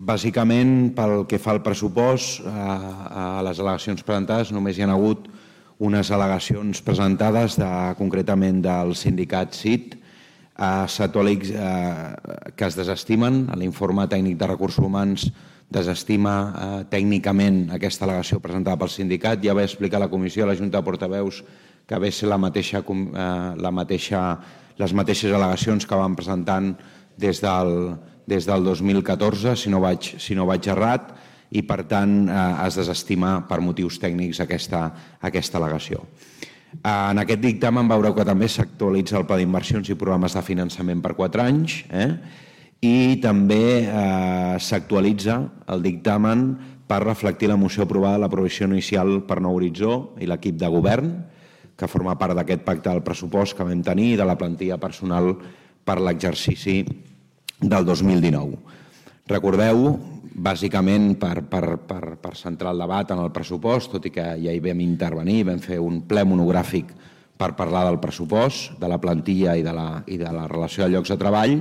Bàsicament, pel que fa al pressupost, a les al·legacions presentades només hi ha hagut unes al·legacions presentades concretament del sindicat CIT, que es desestimen. L'informe tècnic de recursos humans desestima tècnicament aquesta al·legació presentada pel sindicat. Ja vaig explicar a la comissió, a la Junta de Portaveus, que ve ser les mateixes al·legacions que van presentant des del 2014, si no vaig errat, i per tant es desestima per motius tècnics aquesta al·legació. En aquest dictamen veureu que també s'actualitza el pla d'inversions i programes de finançament per 4 anys i també s'actualitza el dictamen per reflectir la moció aprovada a l'aprovació inicial per Nou Horitzó i l'equip de govern, que forma part d'aquest pacte del pressupost que vam tenir i de la plantilla personal per l'exercici del 2019. Recordeu, bàsicament per centrar el debat en el pressupost, tot i que ja hi vam intervenir, vam fer un ple monogràfic per parlar del pressupost, de la plantilla i de la relació de llocs de treball,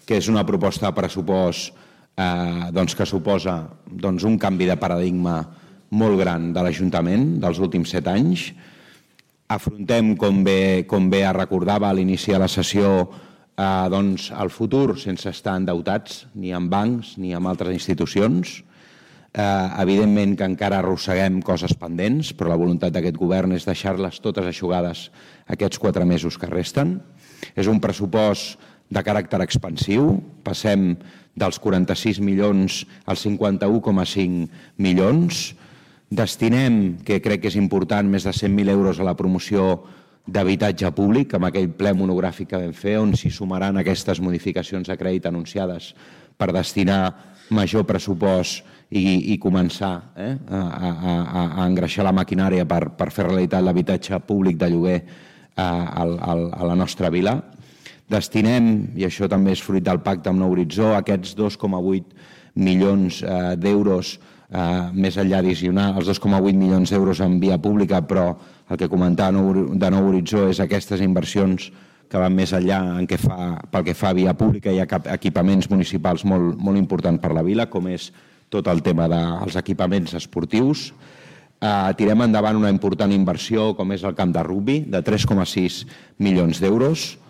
que és una proposta de pressupost que suposa un canvi de paradigma molt gran de l'Ajuntament dels últims 7 anys. Afrontem, com bé recordava a l'inici de la sessió, el futur sense estar endeutats, ni amb bancs ni amb altres institucions. Evidentment que encara arrosseguem coses pendents, però la voluntat d'aquest govern és deixar-les totes eixugades aquests 4 mesos que resten. És un pressupost de caràcter expansiu. Passem dels 46 milions als 51,5 milions. Destinem, que crec que és important, més de 100.000 euros a la promoció d'habitatge públic, amb aquell ple monogràfic que vam fer, on s'hi sumaran aquestes modificacions de crèdit anunciades per destinar major pressupost i començar a engreixar la maquinària per fer realitat l'habitatge públic de lloguer a la nostra vila. Destinem, i això també és fruit del pacte amb Nou Horitzó, aquests 2,8 milions d'euros més enllà addicional, els 2,8 milions d'euros en via pública, però el que comentava de Nou Horitzó és aquestes inversions que van més enllà pel que fa a via pública i a equipaments municipals molt importants per la vila, com és tot el tema dels equipaments esportius. Tirem endavant una important inversió com és el camp de rugbi, de 3,6 milions d'euros.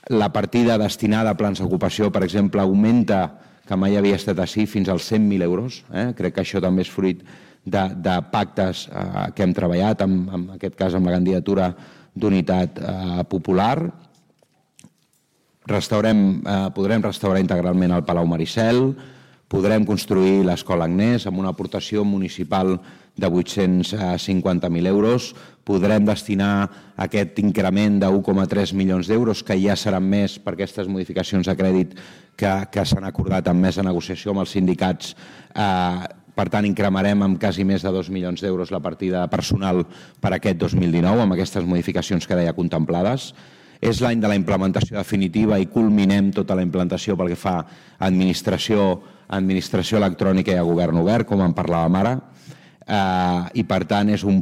La partida destinada a plans d'ocupació, per exemple, augmenta, que mai havia estat així, fins als 100.000 euros. Crec que això també és fruit de pactes que hem treballat, en aquest cas amb la candidatura d'Unitat Popular. Podrem restaurar integralment el Palau Maricel, podrem construir l'Escola Agnès amb una aportació municipal de 850.000 euros, podrem destinar aquest increment de 1,3 milions d'euros, que ja seran més per aquestes modificacions de crèdit que s'han acordat amb més de negociació amb els sindicats. Per tant, incrementarem amb quasi més de 2 milions d'euros la partida personal per aquest 2019, amb aquestes modificacions que deia contemplades. És l'any de la implementació definitiva i culminem tota la implantació pel que fa a administració electrònica i a govern obert, com en parlàvem ara. I per tant és un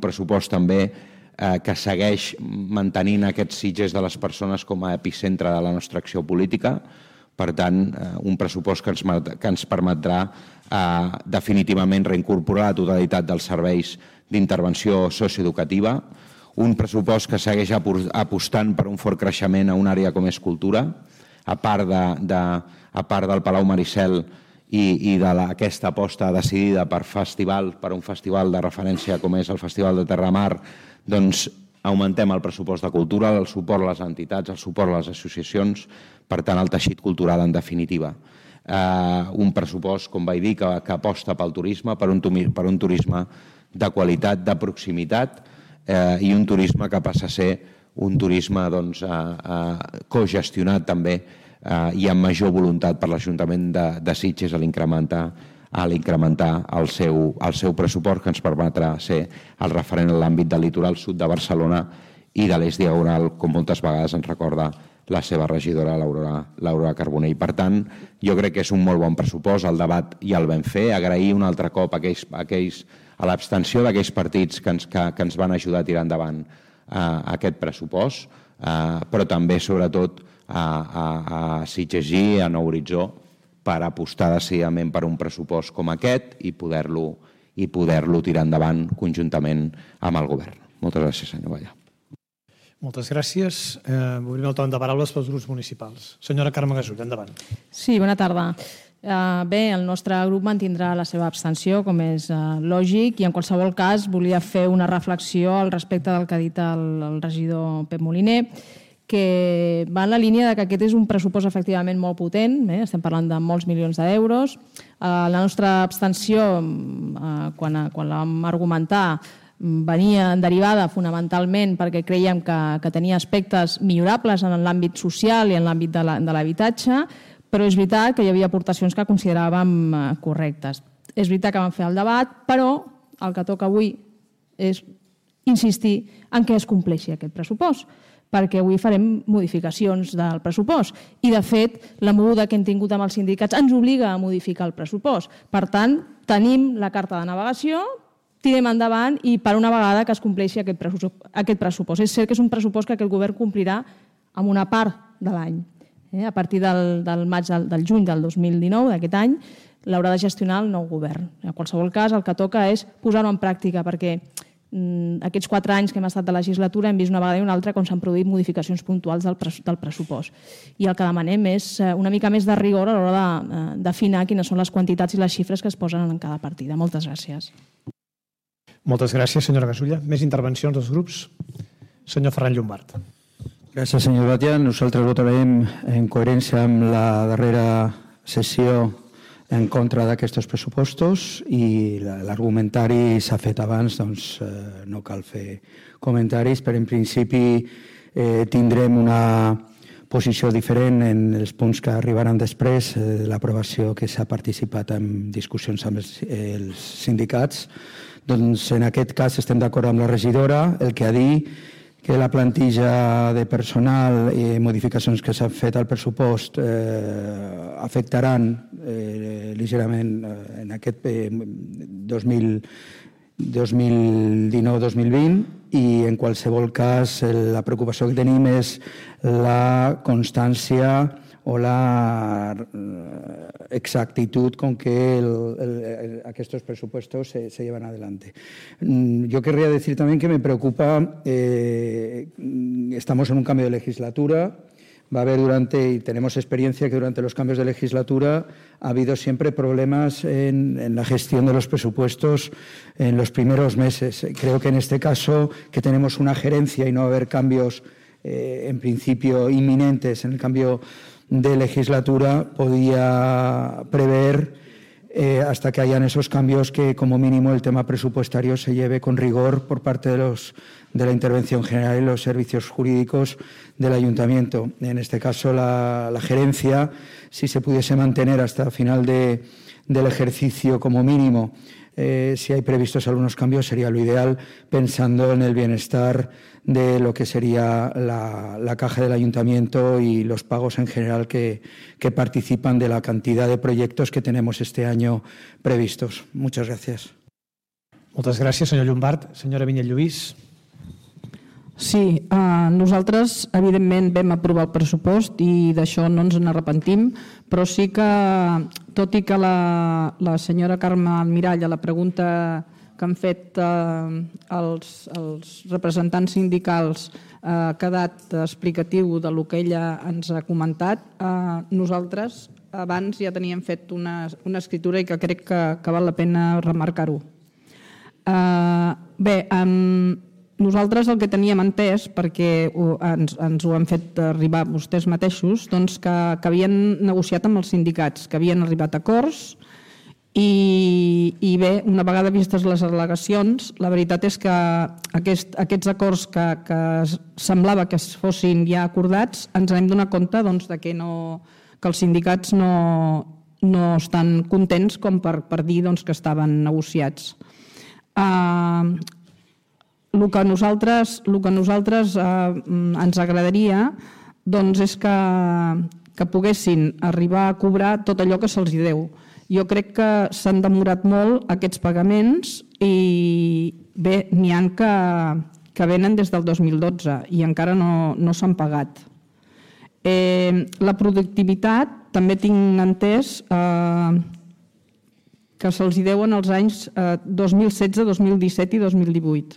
pressupost també que segueix mantenint aquests Sitges de les persones com a epicentre de la nostra acció política. Per tant, un pressupost que ens permetrà definitivament reincorporar la totalitat dels serveis d'intervenció socioeducativa, un pressupost que segueix apostant per un fort creixement a una àrea com és cultura, a part del Palau Maricel i d'aquesta aposta decidida per un festival de referència com és el Festival de Terramar, doncs augmentem el pressupost de cultura, el suport a les entitats, el suport a les associacions, per tant el teixit cultural en definitiva. Un pressupost, com vaig dir, que aposta pel turisme, per un turisme de qualitat, de proximitat, i un turisme que passa a ser un turisme cogestionat també i amb major voluntat per l'Ajuntament de Sitges a l'incrementar el seu pressupost, que ens permetrà ser el referent en l'àmbit del litoral sud de Barcelona i de l'eix diagonal, com moltes vegades ens recorda la seva regidora, l'Aurora Carbonell. Per tant, jo crec que és un molt bon pressupost, el debat ja el vam fer, agrair un altre cop a l'abstenció d'aquells partits que ens van ajudar a tirar endavant aquest pressupost, però també, sobretot, a Sitges i a Nou Horitzó per apostar decididament per un pressupost com aquest i poder-lo tirar endavant conjuntament amb el govern. Moltes gràcies, senyor Ballà. Moltes gràcies. Obrim el torn de paraules pels grups municipals. Senyora Carme Gasull, endavant. Sí, bona tarda. Bé, el nostre grup mantindrà la seva abstenció, com és lògic, i en qualsevol cas volia fer una reflexió al respecte del que ha dit el regidor Pep Moliner, que va en la línia de que aquest és un pressupost efectivament molt potent, estem parlant de molts milions d'euros. La nostra abstenció, quan la vam argumentar, venia derivada fonamentalment perquè creiem que tenia aspectes millorables en l'àmbit social i en l'àmbit de l'habitatge, però és veritat que hi havia aportacions que consideràvem correctes. És veritat que vam fer el debat, però el que toca avui és insistir en què es compleixi aquest pressupost, perquè avui farem modificacions del pressupost i, de fet, la moguda que hem tingut amb els sindicats ens obliga a modificar el pressupost. Per tant, tenim la carta de navegació, tirem endavant i per una vegada que es compleixi aquest pressupost. És cert que és un pressupost que aquest govern complirà amb una part de l'any. A partir del juny del 2019, d'aquest any, l'haurà de gestionar el nou govern. En qualsevol cas, el que toca és posar-ho en pràctica, perquè aquests 4 anys que hem estat de legislatura hem vist una vegada i una altra com s'han produït modificacions puntuals del pressupost. I el que demanem és una mica més de rigor a l'hora d'afinar quines són les quantitats i les xifres que es posen en cada partida. Moltes gràcies. Moltes gràcies, senyora Gasulla. Més intervencions dels grups? Senyor Ferran Llombart. Gràcies, senyor Batlle. Nosaltres votarem en coherència amb la darrera sessió en contra d'aquests pressupostos i l'argumentari s'ha fet abans, doncs no cal fer comentaris, però en principi tindrem una posició diferent en els punts que arribaran després de l'aprovació que s'ha participat en discussions amb els sindicats. Doncs en aquest cas estem d'acord amb la regidora, el que ha dit que la plantilla de personal i modificacions que s'han fet al pressupost afectaran lleugerament en aquest 2019-2020 i en qualsevol cas la preocupació que tenim és la constància o la exactitud con que estos presupuestos se llevan adelante. Yo querría decir también que me preocupa, estamos en un cambio de legislatura, va a haber y tenemos experiencia que durante los cambios de legislatura ha habido siempre problemas en la gestión de los presupuestos en los primeros meses. Creo que en este caso, que tenemos una gerencia y no va a haber cambios en principio inminentes en el cambio de legislatura, podía prever hasta que hayan esos cambios que como mínimo el tema presupuestario se lleve con rigor por parte de la intervención general y los servicios jurídicos del ayuntamiento. En este caso la gerencia, si se pudiese mantener hasta el final del ejercicio como mínimo, si hay previstos algunos cambios sería lo ideal, pensando en el bienestar de lo que sería la caja del ayuntamiento y los pagos en general que participan de la cantidad de proyectos que tenemos este año previstos. Muchas gracias. Moltes gràcies, senyor Llombart. Senyora Vinyet-Lluís. Sí, nosaltres evidentment vam aprovar el pressupost i d'això no ens n'arrepentim, però sí que, tot i que la senyora Carme Almirall, a la pregunta que han fet els representants sindicals, ha quedat explicatiu del que ella ens ha comentat, nosaltres abans ja teníem fet una escritura i que crec que val la pena remarcar-ho. Bé, nosaltres el que teníem entès, perquè ens ho han fet arribar vostès mateixos, doncs que havien negociat amb els sindicats, que havien arribat a acords i bé, una vegada vistes les al·legacions, la veritat és que aquests acords que semblava que fossin ja acordats, ens hem donat compte que els sindicats no estan contents com per dir que estaven negociats. El que a nosaltres ens agradaria és que poguessin arribar a cobrar tot allò que se'ls deu. Jo crec que s'han demorat molt aquests pagaments i bé, n'hi ha que venen des del 2012 i encara no s'han pagat. La productivitat també tinc entès que se'ls deuen els anys 2016, 2017 i 2018.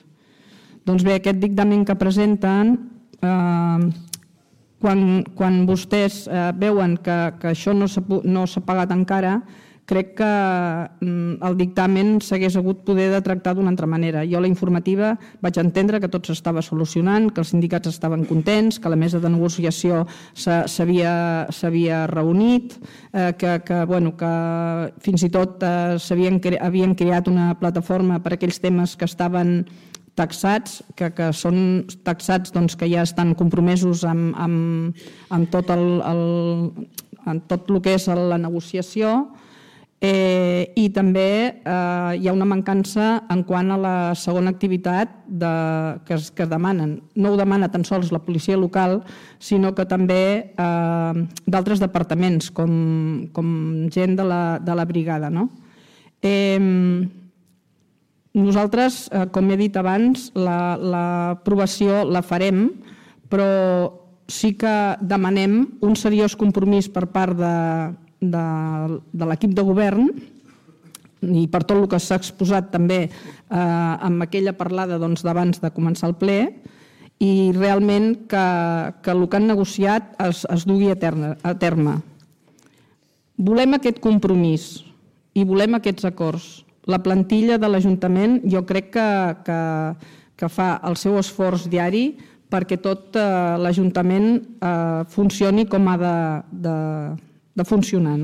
Doncs bé, aquest dictamen que presenten, quan vostès veuen que això no s'ha pagat encara, crec que el dictamen s'hagués hagut poder de tractar d'una altra manera. Jo a la informativa vaig entendre que tot s'estava solucionant, que els sindicats estaven contents, que la mesa de negociació s'havia reunit, que fins i tot havien creat una plataforma per a aquells temes que estaven taxats, que són taxats que ja estan compromesos amb tot el que és la negociació, i també hi ha una mancança en quant a la segona activitat que es demanen. No ho demana tan sols la policia local, sinó que també d'altres departaments, com gent de la brigada. Nosaltres, com he dit abans, l'aprovació la farem, però sí que demanem un seriós compromís per part de l'equip de govern i per tot el que s'ha exposat també amb aquella parlada d'abans de començar el ple, i realment que el que han negociat es dugui a terme. Volem aquest compromís i volem aquests acords. La plantilla de l'Ajuntament jo crec que fa el seu esforç diari perquè tot l'Ajuntament funcioni com ha de funcionar.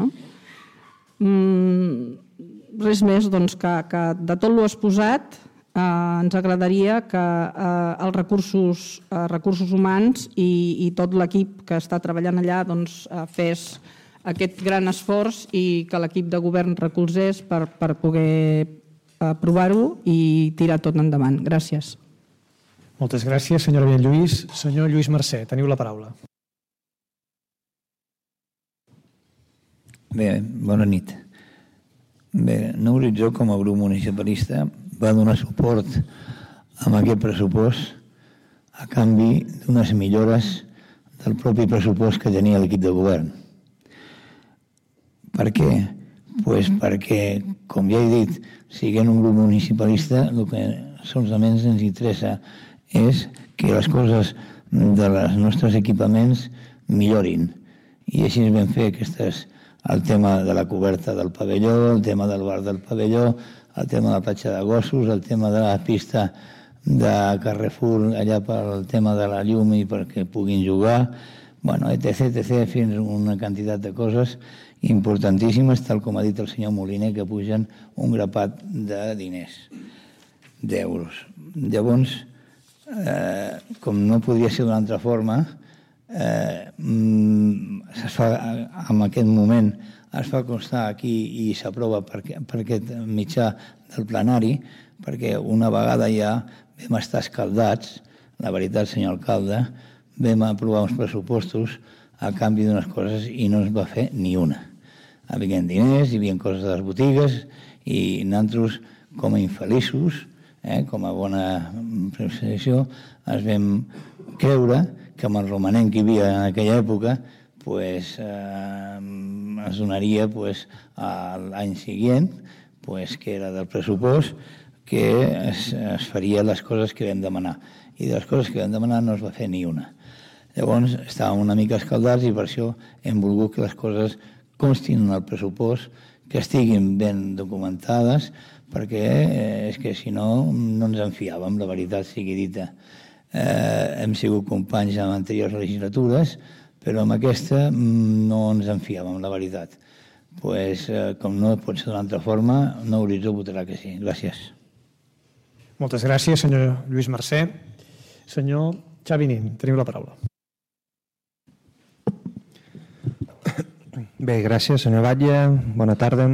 Res més, que de tot l'exposat ens agradaria que els recursos humans i tot l'equip que està treballant allà fes aquest gran esforç i que l'equip de govern recolzés per poder aprovar-ho i tirar tot endavant. Gràcies. Moltes gràcies, senyora Villalluís. Senyor Lluís Mercè, teniu la paraula. Bé, bona nit. Bé, Nou Horitzó, com a grup municipalista, va donar suport a aquest pressupost a canvi d'unes millores del propi pressupost que tenia l'equip de govern. Per què? Doncs perquè, com ja he dit, siguent un grup municipalista, el que solament ens interessa és que les coses dels nostres equipaments millorin. I així ens vam fer el tema de la coberta del pavelló, el tema del bar del pavelló, el tema de la platja de gossos, el tema de la pista de Carrefour allà pel tema de la llum i perquè puguin jugar, etc., fins a una quantitat de coses importantíssimes, tal com ha dit el senyor Moliner, que pugen un grapat de diners, d'euros. Llavors, com no podia ser d'una altra forma, en aquest moment es fa constar aquí i s'aprova per aquest mitjà del plenari, perquè una vegada ja vam estar escaldats, la veritat, senyor alcalde, vam aprovar uns pressupostos a canvi d'unes coses i no es va fer ni una. Hi havia diners, hi havia coses de les botigues i nosaltres, com a infeliços, com a bona preposició, ens vam creure que amb el romanent que hi havia en aquella època es donaria l'any següent, que era del pressupost, que es faria les coses que vam demanar. I de les coses que vam demanar no es va fer ni una. Llavors estàvem una mica escaldats i per això hem volgut que les coses constin en el pressupost, que estiguin ben documentades, perquè és que si no ens en fiàvem, la veritat sigui dita. Hem sigut companys en anteriors legislatures, però amb aquesta no ens en fiàvem, la veritat. Com no pot ser d'una altra forma, Nou Horitzó votarà que sí. Gràcies. Moltes gràcies, senyor Lluís Mercè. Senyor Xavi Nin, teniu la paraula. Bé, gràcies, senyor Batlle. Bona tarda.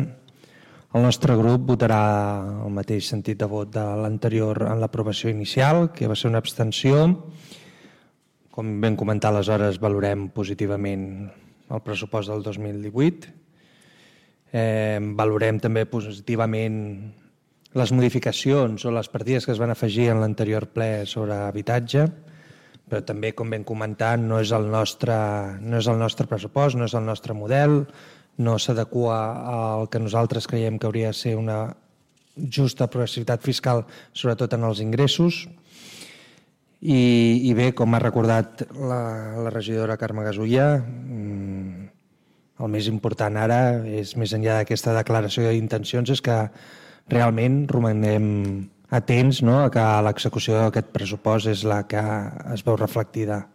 El nostre grup votarà el mateix sentit de vot de l'anterior en l'aprovació inicial, que va ser una abstenció. Com vam comentar aleshores, valorem positivament el pressupost del 2018. Valorem també positivament les modificacions o les partides que es van afegir en l'anterior ple sobre habitatge, però també, com ben comentat, no és el nostre pressupost, no és el nostre model, no s'adequa al que nosaltres creiem que hauria de ser una justa progressivitat fiscal, sobretot en els ingressos. I bé, com ha recordat la regidora Carme Gasulla, el més important ara, és més enllà d'aquesta declaració d'intencions, és que realment romanem atents, no?, a que l'execució d'aquest pressupost és la que es veu reflectida.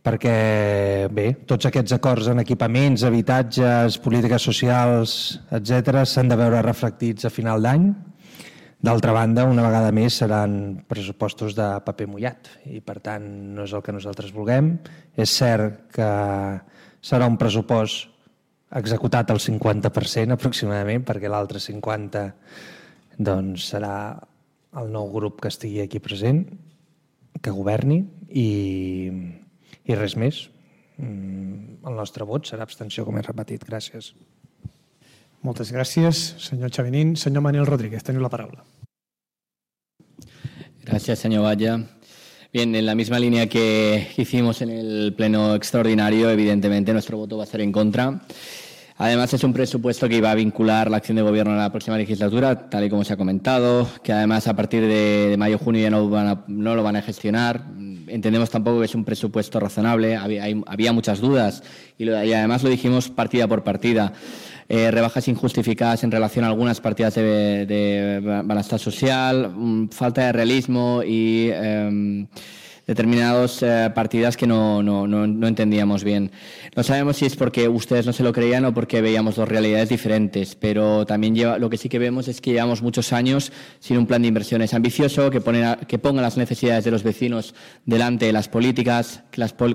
Perquè, bé, tots aquests acords en equipaments, habitatges, polítiques socials, etc., s'han de veure reflectits a final d'any. D'altra banda, una vegada més, seran pressupostos de paper mullat i, per tant, no és el que nosaltres vulguem. És cert que serà un pressupost executat al 50% aproximadament, perquè l'altre 50% doncs, serà el nou grup que estigui aquí present, que governi, i res més. El nostre vot serà abstenció, com he repetit. Gràcies. Moltes gràcies, senyor Chavenín. Senyor Manuel Rodríguez, teniu la paraula. Gracias, señor Valla. Bien, en la misma línea que hicimos en el pleno extraordinario, evidentemente nuestro voto va a ser en contra. Además, es un presupuesto que iba a vincular la acción de gobierno a la próxima legislatura, tal y como se ha comentado, que además a partir de mayo-junio ya no lo van a gestionar. Entendemos tampoco que es un presupuesto razonable, había muchas dudas y además lo dijimos partida por partida. Rebajas injustificadas en relación a algunas partidas de bienestar social, falta de realismo y determinadas partidas que no entendíamos bien. No sabemos si es porque ustedes no se lo creían o porque veíamos dos realidades diferentes, pero también lo que sí que vemos es que llevamos muchos años sin un plan de inversiones ambicioso que ponga las necesidades de los vecinos delante de las políticas,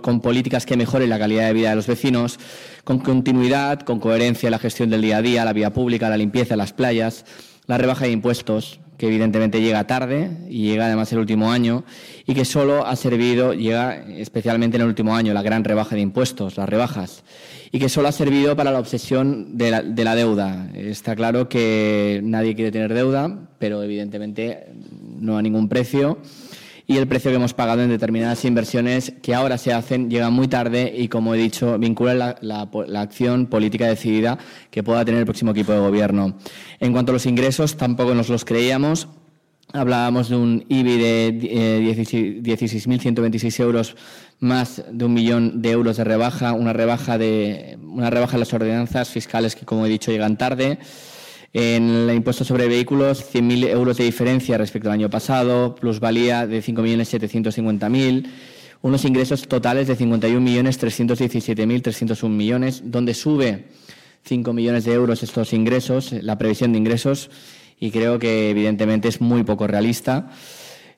con políticas que mejoren la calidad de vida de los vecinos, con continuidad, con coherencia en la gestión del día a día, la vía pública, la limpieza, las playas, la rebaja de impuestos, que evidentemente llega tarde y llega además el último año y que solo ha servido, llega especialmente en el último año, la gran rebaja de impuestos, las rebajas, y que solo ha servido para la obsesión de la deuda. Está claro que nadie quiere tener deuda, pero evidentemente no a ningún precio. Y el precio que hemos pagado en determinadas inversiones que ahora se hacen llega muy tarde y, como he dicho, vinculan la acción política decidida que pueda tener el próximo equipo de gobierno. En cuanto a los ingresos, tampoco nos los creíamos. Hablábamos de un IBI de 16.126 euros, más de 1 millón de euros de rebaja, una rebaja en las ordenanzas fiscales que, como he dicho, llegan tarde. En el impuesto sobre vehículos, 100.000 euros de diferencia respecto al año pasado, plusvalía de 5.750.000, unos ingresos totales de 51.317.301 millones, donde sube 5 millones de euros estos ingresos, la previsión de ingresos, y creo que evidentemente es muy poco realista.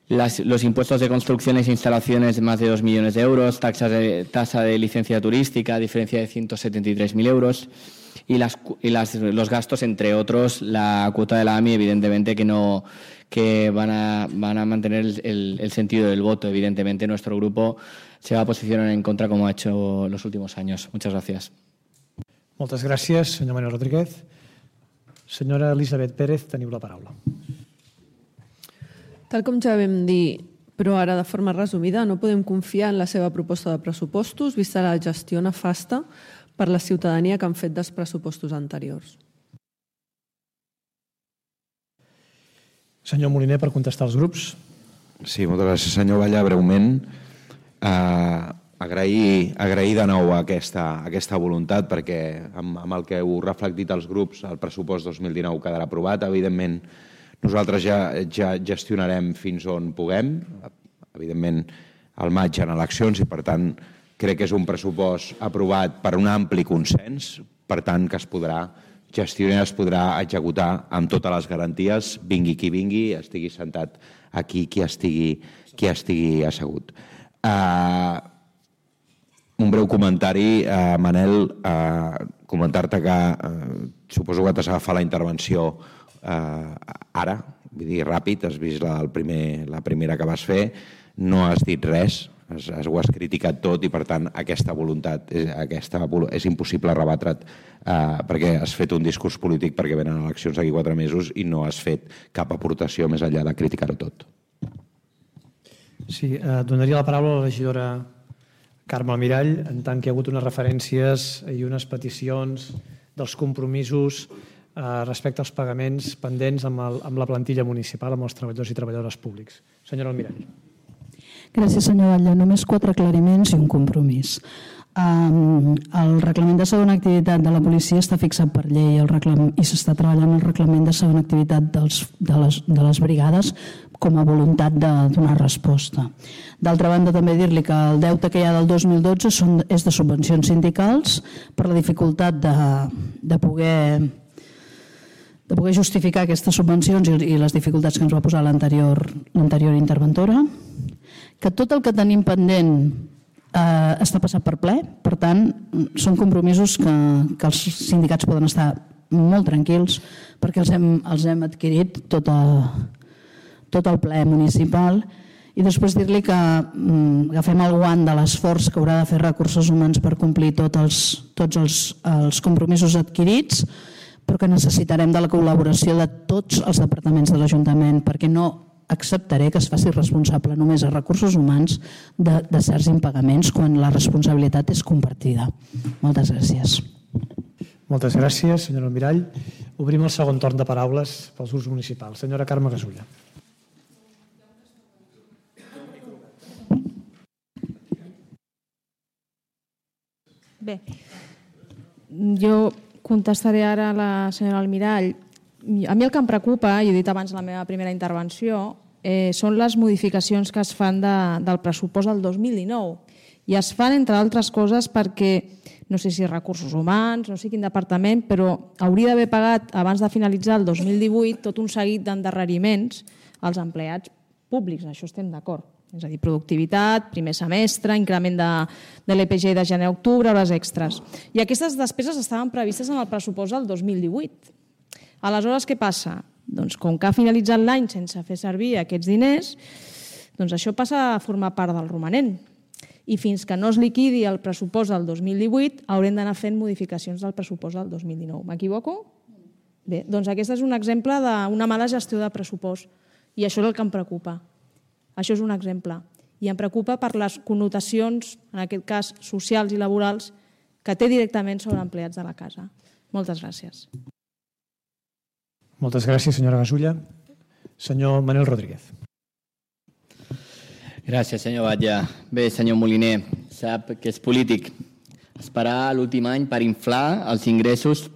Los impuestos de construcciones e instalaciones de más de 2 millones de euros, tasa de licencia turística, diferencia de 173.000 euros. Y los gastos, entre otros, la cuota de la AMI, evidentemente que van a mantener el sentido del voto. Evidentemente, nuestro grupo se va a posicionar en contra, como ha hecho en los últimos años. Muchas gracias. Moltes gràcies, senyor Manuel Rodríguez. Senyora Elisabet Pérez, teniu la paraula. Tal com ja vam dir, però ara de forma resumida, no podem confiar en la seva proposta de pressupostos, vista la gestió nefasta per la ciutadania que han fet dels pressupostos anteriors. Senyor Moliner, per contestar als grups. Sí, moltes gràcies, senyor Valla. Breument, agrair de nou aquesta voluntat, perquè amb el que heu reflectit els grups, el pressupost 2019 quedarà aprovat. Evidentment, nosaltres ja gestionarem fins on puguem. Evidentment, al maig hi ha eleccions i, per tant, crec que és un pressupost aprovat per un ampli consens, per tant, que es podrà gestionar, es podrà executar amb totes les garanties, vingui qui vingui, estigui sentat aquí qui estigui assegut. Un breu comentari, Manel, comentar-te que suposo que t'has agafat la intervenció ara, vull dir, ràpid, has vist la primera que vas fer, no has dit res, ho has criticat tot i, per tant, aquesta voluntat és impossible rebatre't perquè has fet un discurs polític perquè venen eleccions d'aquí 4 mesos i no has fet cap aportació més enllà de criticar-ho tot. Sí, donaria la paraula a la regidora Carme Almirall, en tant que hi ha hagut unes referències i unes peticions dels compromisos respecte als pagaments pendents amb la plantilla municipal, amb els treballadors i treballadores públics. Senyora Almirall. Gràcies, senyor Batlle. Només 4 aclariments i un compromís. El reglament de segona activitat de la policia està fixat per llei i s'està treballant el reglament de segona activitat de les brigades com a voluntat de donar resposta. D'altra banda, també dir-li que el deute que hi ha del 2012 és de subvencions sindicals per la dificultat de poder justificar aquestes subvencions i les dificultats que ens va posar l'anterior interventora, que tot el que tenim pendent està passat per ple, per tant, són compromisos que els sindicats poden estar molt tranquils perquè els hem adquirit tot el ple municipal. I després dir-li que agafem el guant de l'esforç que haurà de fer Recursos Humans per complir tots els compromisos adquirits, però que necessitarem de la col·laboració de tots els departaments de l'Ajuntament, perquè no acceptaré que es faci responsable només a Recursos Humans de certs impagaments quan la responsabilitat és compartida. Moltes gràcies. Moltes gràcies, senyora Almirall. Obrim el segon torn de paraules pels grups municipals. Senyora Carme Gasulla. Bé, jo contestaré ara a la senyora Almirall. A mi el que em preocupa, i he dit abans en la meva primera intervenció, són les modificacions que es fan del pressupost del 2019. I es fan, entre altres coses, perquè, no sé si Recursos Humans, no sé quin departament, però hauria d'haver pagat, abans de finalitzar el 2018, tot un seguit d'endarreriments als empleats públics. Això estem d'acord. És a dir, productivitat, primer semestre, increment de l'EPG de gener a octubre, hores extres. I aquestes despeses estaven previstes en el pressupost del 2018. Aleshores, què passa? Doncs com que ha finalitzat l'any sense fer servir aquests diners, doncs això passa a formar part del romanent. I fins que no es liquidi el pressupost del 2018, haurem d'anar fent modificacions del pressupost del 2019. M'equivoco? Bé, doncs aquest és un exemple d'una mala gestió de pressupost. I això és el que em preocupa. Això és un exemple. I em preocupa per les connotacions, en aquest cas socials i laborals, que té directament sobre empleats de la casa. Moltes gràcies. Moltes gràcies, senyora Gasulla. Senyor Manel Rodríguez. Gràcies, senyor Batlle. Bé, senyor Moliner, sap que és polític. Esperar l'últim any per inflar els ingressos,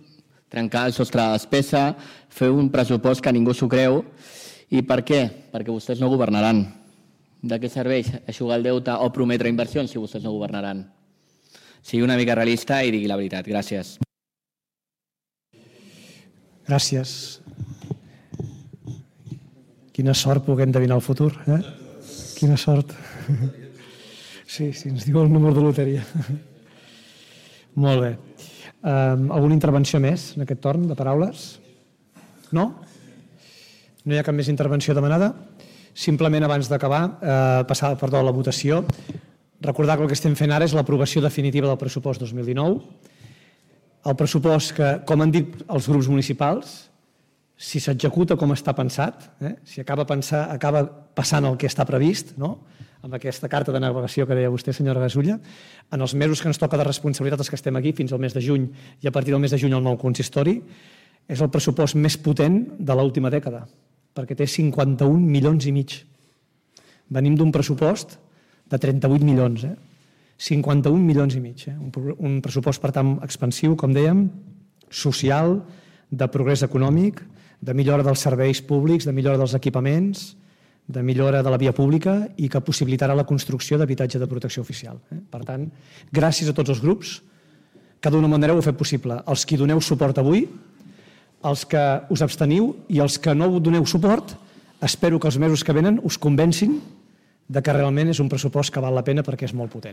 trencar el sostre de despesa, fer un pressupost que ningú s'ho creu. I per què? Perquè vostès no governaran. De què serveix eixugar el deute o prometre inversions si vostès no governaran? Sigui una mica realista i digui la veritat. Gràcies. Gràcies. Quina sort poder endevinar el futur, eh? Quina sort. Sí, ens diu el número de loteria. Molt bé. Alguna intervenció més en aquest torn de paraules? No? No hi ha cap més intervenció demanada? Simplement, abans d'acabar, passar a la votació, recordar que el que estem fent ara és l'aprovació definitiva del pressupost 2019. El pressupost que, com han dit els grups municipals, si s'executa com està pensat, si acaba passant el que està previst, amb aquesta carta de navegació que deia vostè, senyora Gasulla, en els mesos que ens toca de responsabilitat els que estem aquí, fins al mes de juny, i a partir del mes de juny el nou consistori, és el pressupost més potent de l'última dècada, perquè té 51 milions i mig. Venim d'un pressupost de 38 milions, 51 milions i mig. Un pressupost, per tant, expansiu, com dèiem, social, de progrés econòmic, de millora dels serveis públics, de millora dels equipaments, de millora de la via pública i que possibilitarà la construcció d'habitatge de protecció oficial. Per tant, gràcies a tots els grups que d'una manera ho heu fet possible. Els que doneu suport avui, els que us absteniu i els que no doneu suport, espero que els mesos que venen us convencin de que realment és un pressupost que val la pena perquè és molt potent.